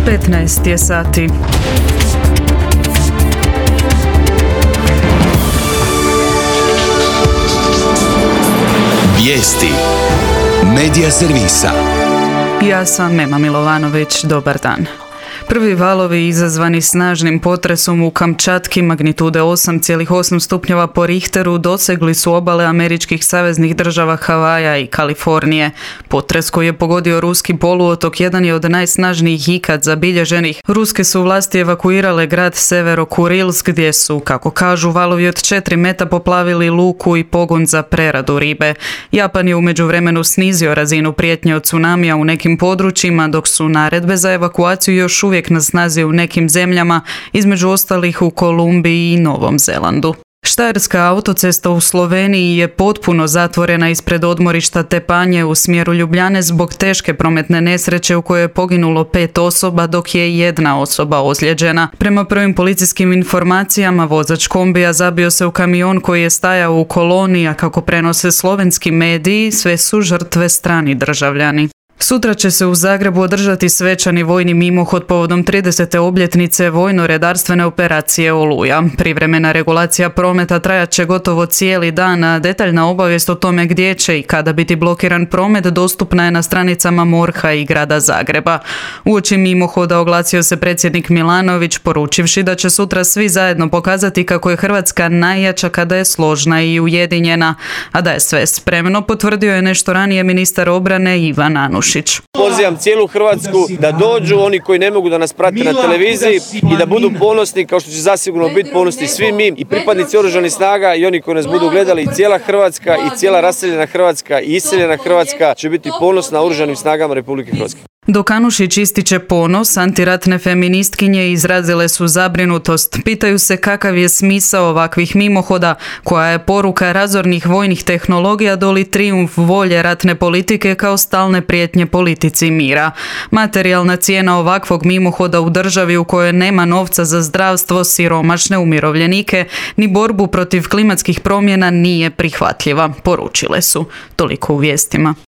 15 je sati. Vijesti Medija servisa. Ja sam Mema Milovanović, dobar dan. Prvi valovi izazvani snažnim potresom u Kamčatki magnitude 8,8 stupnjeva po Richteru dosegli su obale američkih saveznih država Havaja i Kalifornije. Potres koji je pogodio ruski poluotok jedan je od najsnažnijih ikad zabilježenih. Ruske su vlasti evakuirale grad Severo-Kurilsk gdje su, kako kažu, valovi od 4 meta poplavili luku i pogon za preradu ribe. Japan je u međuvremenu snizio razinu prijetnje od tsunamija u nekim područjima, dok su naredbe za evakuaciju još uvijek na snazi u nekim zemljama, između ostalih u Kolumbiji i Novom Zelandu. Štajerska autocesta u Sloveniji je potpuno zatvorena ispred odmorišta Tepanje u smjeru Ljubljane zbog teške prometne nesreće u kojoj je poginulo 5 osoba, dok je 1 osoba ozlijeđena. Prema prvim policijskim informacijama, vozač kombija zabio se u kamion koji je stajao u koloni, a kako prenose slovenski mediji, sve su žrtve strani državljani. Sutra će se u Zagrebu održati svečani vojni mimohod povodom 30. obljetnice vojno-redarstvene operacije Oluja. Privremena regulacija prometa trajat će gotovo cijeli dan, a detaljna obavijest o tome gdje će i kada biti blokiran promet dostupna je na stranicama MORH-a i grada Zagreba. Uoči mimohoda oglasio se predsjednik Milanović, poručivši da će sutra svi zajedno pokazati kako je Hrvatska najjača kada je složna i ujedinjena, a da je sve spremno potvrdio je nešto ranije ministar obrane Ivan Anušić. Pozivam cijelu Hrvatsku da dođu, oni koji ne mogu da nas prate na televiziji, i da budu ponosni, kao što će zasigurno biti ponosni svi mi i pripadnici oružanih snaga i oni koji nas budu gledali. I cijela Hrvatska i cijela raseljena Hrvatska i iseljena Hrvatska će biti ponosna oružanim snagama Republike Hrvatske. Dok Anušić ističe ponos, antiratne feministkinje izrazile su zabrinutost. Pitaju se kakav je smisao ovakvih mimohoda, koja je poruka razornih vojnih tehnologija doli trijumf volje ratne politike kao stalne prijetnje politici mira. Materijalna cijena ovakvog mimohoda u državi u kojoj nema novca za zdravstvo, siromašne umirovljenike, ni borbu protiv klimatskih promjena nije prihvatljiva, poručile su. Toliko u vijestima.